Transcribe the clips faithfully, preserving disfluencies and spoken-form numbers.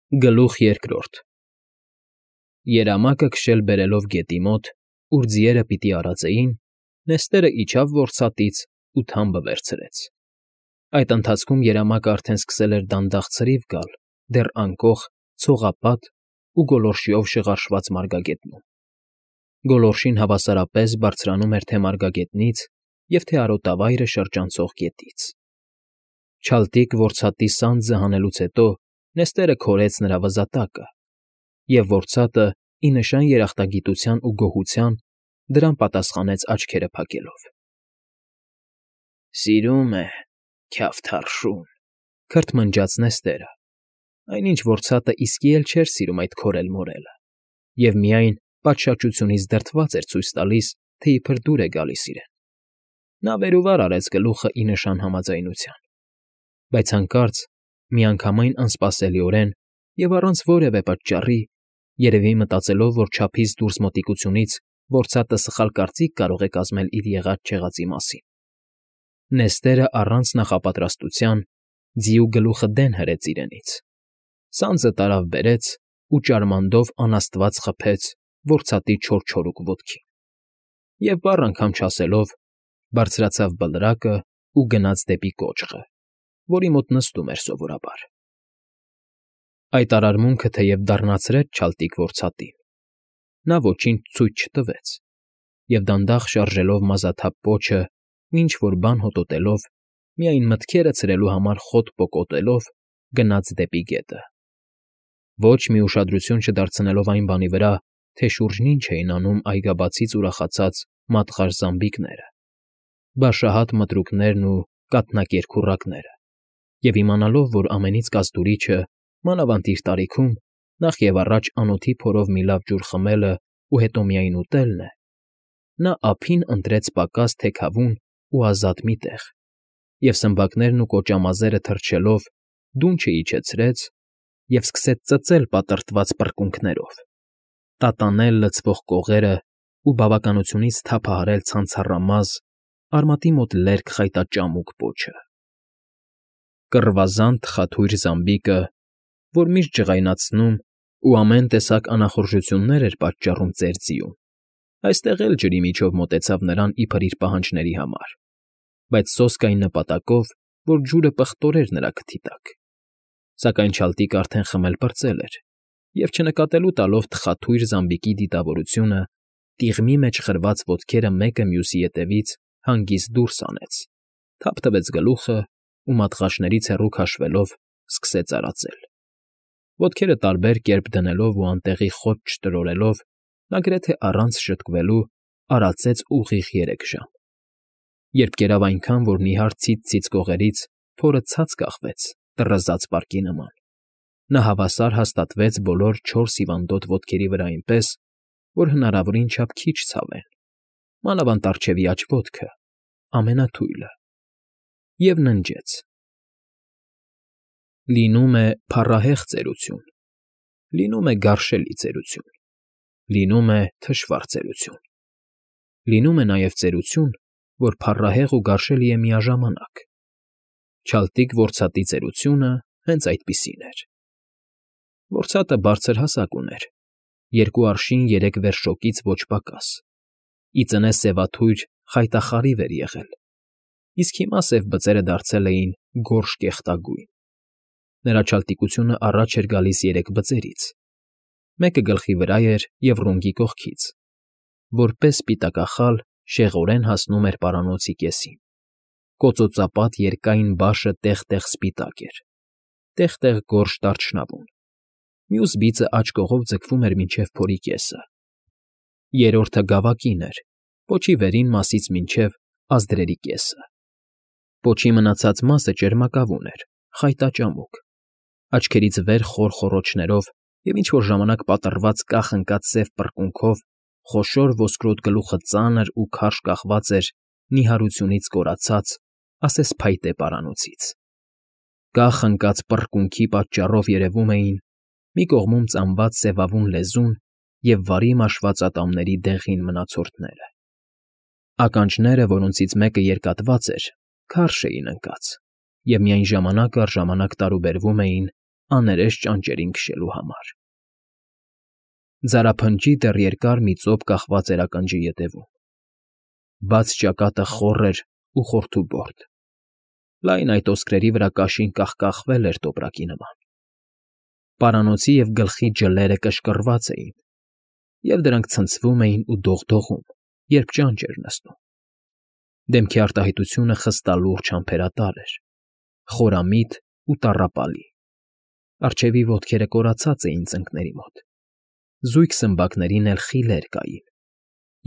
Գլուխ երկրորդ Երամակը քշել բերելով գետի մոտ, ուր ձիերը պիտի արածեին, Նեստերը իջավ որսատից ու թամբը վերցրեց. այդ ընթացքում երամակը արդեն սկսել էր դանդաղ ցրիվ գալ դեռ անկոխ, ցողապատ ու գոլորշիով շղարշված մարգագետնում. գոլորշին հավասարապես բարձրանում էր թե մարգագետնից և թե արոտավայրը շրջանցող գետից. Չալտիկ որսատի սանձը հանելուց հետո Նեստերը քորեց նրա վզատակը, և որսատը, ի նշան երախտագիտության ու գոհության, դրան պատասխանեց աչքերը փակելով։ ֊ Սիրում է, քյավթարշուն,֊ քրթմնջաց Նեստերը, այնինչ որսատը իսկի էլ չէր սիրում այդ քորել֊մորելը, և միայն պատշաճությունից դրդված էր ցույց տալիս, թե իբր դուր է գալիս իրեն. նա վեր ու վար արեց գլուխը ի նշան համաձայնության, բայց հանկարծ, միանգամայն անսպասելիորեն և առանց որևէ պատճառի, երևի մտածելով, որ չափից դուրս մոտիկությունից որսատը սխալ կարծիք կարող է կազմել իր եղած֊չեղածի մասին, Նեստերը առանց նախապատրաստության ձիու գլուխը դեն հրեց իրենից, սանձը տարավ բերեց ու ճարմանդով անաստված խփեց որսատի չորչորուկ ոտքին և, բառ անգամ չասելով, բարձրացավ բլրակը ու գնաց դեպի կոճղը, որի մոտ նստում էր սովորաբար։ Այդ արարմունքը թեև դառնացրեց չալտիկ որսատին, նա ոչինչ ցույց չտվեց և, դանդաղ շարժելով մազաթափ պոչը ու ինչ֊որ բան հոտոտելով, միայն մտքերը ցրելու համար խոտ պոկոտելով, գնաց դեպի գետը, ոչ մի ուշադրություն չդարձնելով այն բանի վրա, թե շուրջն ինչ էին անում այգաբացից ուրախացած մատղաշ զամբիկները, բաշահատ մտրուկներն ու կաթնակերքուռակները, և իմանալով, որ ամենից կազդուրիչը, մանավանդ իր տարիքում, նախևառաջ անոթի փորով մի լավ ջուր խմելն ու հետո միայն ուտելն է, նա ափին ընտրեց պակաս թեքավուն ու ազատ մի տեղ և, սմբակներն ու կոճամազերը թռչելով, դունչը իջեցրեց և սկսեց ծծել պատրտված պռկունքներով, տատանել լցվող կողերն ու բավականությունից թափահարել ցանցառամազ, արմատի մոտ լերկ խայտաճամուկ պոչը։ Կռվազան թխաթույր զամբիկը, որ միշտ ջղայնացնում ու ամեն տեսակ անախորժություններ էր պատճառում ծեր ձիուն, այստեղ էլ ջրի միջով մոտեցավ նրան իբր իր պահանջների համար, բայց սոսկ այն նպատակով, որ ջուրը պղտորեր նրա քթի տակ, սակայն չալտիկը արդեն խմել պրծել էր և, չնկատելու տալով թխաթույր զամբիկի դիտավորությունը, տիղմի մեջ խրված ոտքերը մեկը մյուսի ետևից հանգիստ դուրս հանեց, թափ տվեց գլուխը ու, մատղաշներից հեռու քաշվելով, սկսեց արածել։ Ոտքերը տարբեր կերպ դնելով ու անտեղի խոտ չտրորելով, նա գրեթե առանց շտկվելու արածեց ուղիղ երեք ժամ, երբ կերավ այնքան, որ նիհար ցից֊ցից կողերից փորը ցած կախվեց տռզած պարկի նման, նա հավասար հաստատվեց բոլոր չորս հիվանդոտ ոտքերի վրա այնպես, որ հնարավորին չափ քիչ ցավեն, մանավանդ առջևի աջ ոտքը, ամենաթույլը, և ննջեց. Լինում է փառահեղ ծերություն, լինում է գարշելի ծերություն, լինում է թշվառ ծերություն, լինում է նաև ծերություն, որ փառահեղ ու գարշելի է միաժամանակ, չալտիկ որսատի ծերությունը հենց այդպիսին էր։ Որսատը բարձր հասակ ուներ, երկու արշին երեք վերշոկից ոչ պակաս, ի ծնե սևաթույր խայտախարիվ էր եղել, իսկ հիմա սև բծերը դարձել էին գորշ կեղտագույն։ Նրա չալտիկությունը առաջ էր գալիս երեք բծերից, մեկը գլխի վրա էր և ռունգի կողքից, որպես սպիտակախալ շեղորեն հասնում էր պարանոցի կեսին, կոծոծապատ երկայն բաշը տեղ֊տեղ սպիտակ էր, տեղ֊տեղ գորշ դարչնավուն, մյուս բիծը աջ կողով ձգվում էր մինչև փորի կեսը, երրորդը գավակին էր, պոչի վերին մասից մինչև ազդրերի կեսը, պոչի մնացած մասը ճերմակավուն էր, խայտաճամուկ, աչքերից վեր խոր խոռոչներով և ինչ֊որ ժամանակ պատռված կախ֊ընկած սև պռկունքով խոշոր ոսկրոտ գլուխը ծանր ու քարշ կախված էր նիհարությունից կորացած, ասես փայտե պարանոցից, կախ֊ընկած պռկունքի պատճառով երևում էին մի կողմում ծամված սևավուն լեզուն և վարի մաշված ատամների դեղին մնացորդները, ականջները, որոնցից մեկը երկատված էր, քարշ էին ընկած և միայն ժամանակ առ ժամանակ տարուբերվում էին աներես ճանճերին քշելու համար։ Ձարափնջի դեռ երկար մի ծոփ կախված էր ականջի ետևում։ Բաց ճակատը խոռ էր ու խորթուբորդ։ Լայն այդ ոսկրերի վրա կաշին կախկախվել էր տոպրակի նման։ Պարանոցի և գլխի ջլերը կշկռված էին, և դրանք ցնցվում էին ու դողդողում, երբ ճանճ էր նստում։ Դեմքի արտահայտությունը խստալուրջ համբերատար էր, խորամիտ ու տառապալի։ Առջևի ոտքերը կորացած էին ծնկների մոտ, զույգ սմբակներին էլ խիլեր կային,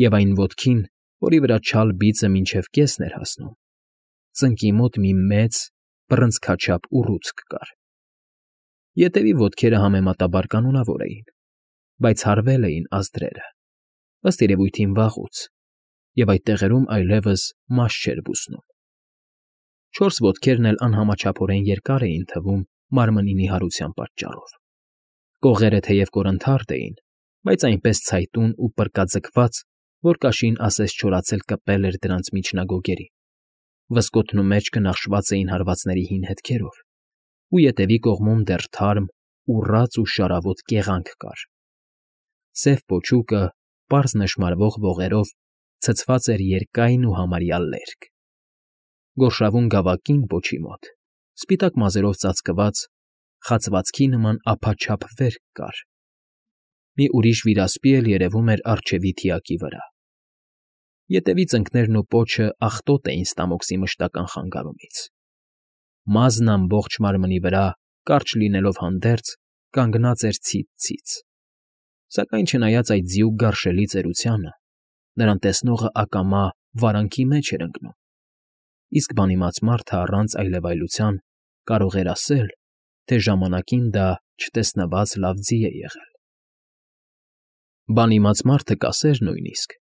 և այն ոտքին, որի վրա չալ բիծը մինչև կեսն էր հասնում, ծնկի մոտ մի մեծ, բռնցքաչափ ուռուցք կար։ Ետևի ոտքերը համեմատաբար կանոնավոր էին, բայց հարվել էին ազդրերը, ըստ երևույթին վաղուց, և այդ տեղերում այլևս մաշ չէր բուսնում։ Չորս ոտքերն էլ անհամաչափորեն երկար էին թվում մարմնի նիհարության պատճառով։ Կողերը թեև կորնթարդ էին, բայց այնպես ցայտուն ու պռկաձգված, որ կաշին ասես չորացել կպել էր դրանց միջնագոգերին, վզկոթն ու մեջքը նախշված էին հարվածների հին հետքերով, ու ետևի կողմում դեռ թարմ, ուռած ու շարավոտ կեղանք կար։ Սև պոչուկը, պարզ նշմարվող ողերով, ցցված էր երկայն ու համարյա լերկ։ Գորշավուն գավակին պոչի մոտ, սպիտակ մազերով ծածկված, խացվածքի նման ափաչափ վերք կար։ Մի ուրիշ վիրասպի էլ երևում էր առջևի թիակի վրա։ Ետևի ծնկներն ու պոչը աղտոտ էին ստամոքսի մշտական խանգարումից։ Մազն ամբողջ մարմնի վրա, կարճ լինելով հանդերձ, կանգնած էր ցից֊ցից։ Սակայն չնայած այդ ձիուկ գարշելի ծերությանը, նրան տեսնողը ակամա վարանքի մեջ էր ընկնում, իսկ բանիմաց մարդը առանց այլևայլության կարող էր ասել, թե ժամանակին դա չտեսնված լավ ձի է եղել։ Բանիմաց մարդը կասեր նույնիսկ,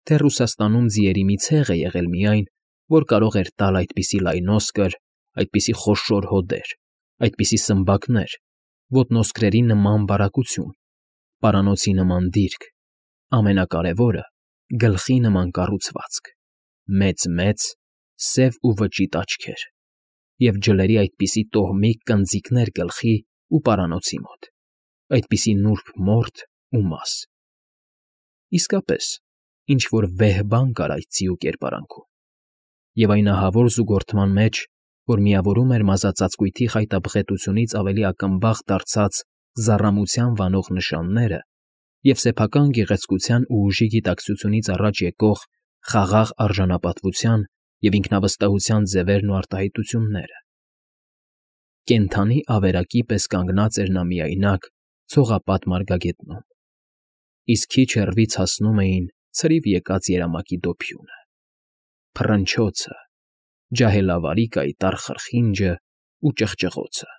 թե Ռուսաստանում ձիերի մի ցեղ է եղել միայն, որ կարող էր տալ այդպիսի լայնոսկր, այդպիսի խոշոր հոդեր, այդպիսի սմբակներ, ոտնոսկրերի նման բարակություն, պարանոցի նման դիրք, ամենակարևորը՝ գլխի նման կառուցվածք, մեծ֊մեծ, սև ու վճիտ աչքեր, և ջլերի այդպիսի տոհմիկ կնձիկներ գլխի ու պարանոցի մոտ, այդպիսի նուրբ մորթ ու մաս։ Իսկապես, ինչ֊որ վեհ բան կար այդ ձիու կերպարանքում, և այն ահավոր զուգորդման մեջ, որ միավորում էր մազածածկույթի խայտաբղետությունից ավելի ակնբախ դարձած զառամության վանող նշանները և սեփական գեղեցկության ու ուժի գիտակցությունից առաջ եկող խաղաղ արժանապատվության և ինքնավստահության ձևերն ու արտահայտությունները։ Կենդանի ավերակի պես կանգնած էր նա միայնակ ցողապատ մարգագետնում, իսկ քիչ հեռվից հասնում էին ցրիվ եկած երամակի դոփյունը, փռնչոցը, ջահելավարի կայտառ խրխինջն ու ճղճղոցը։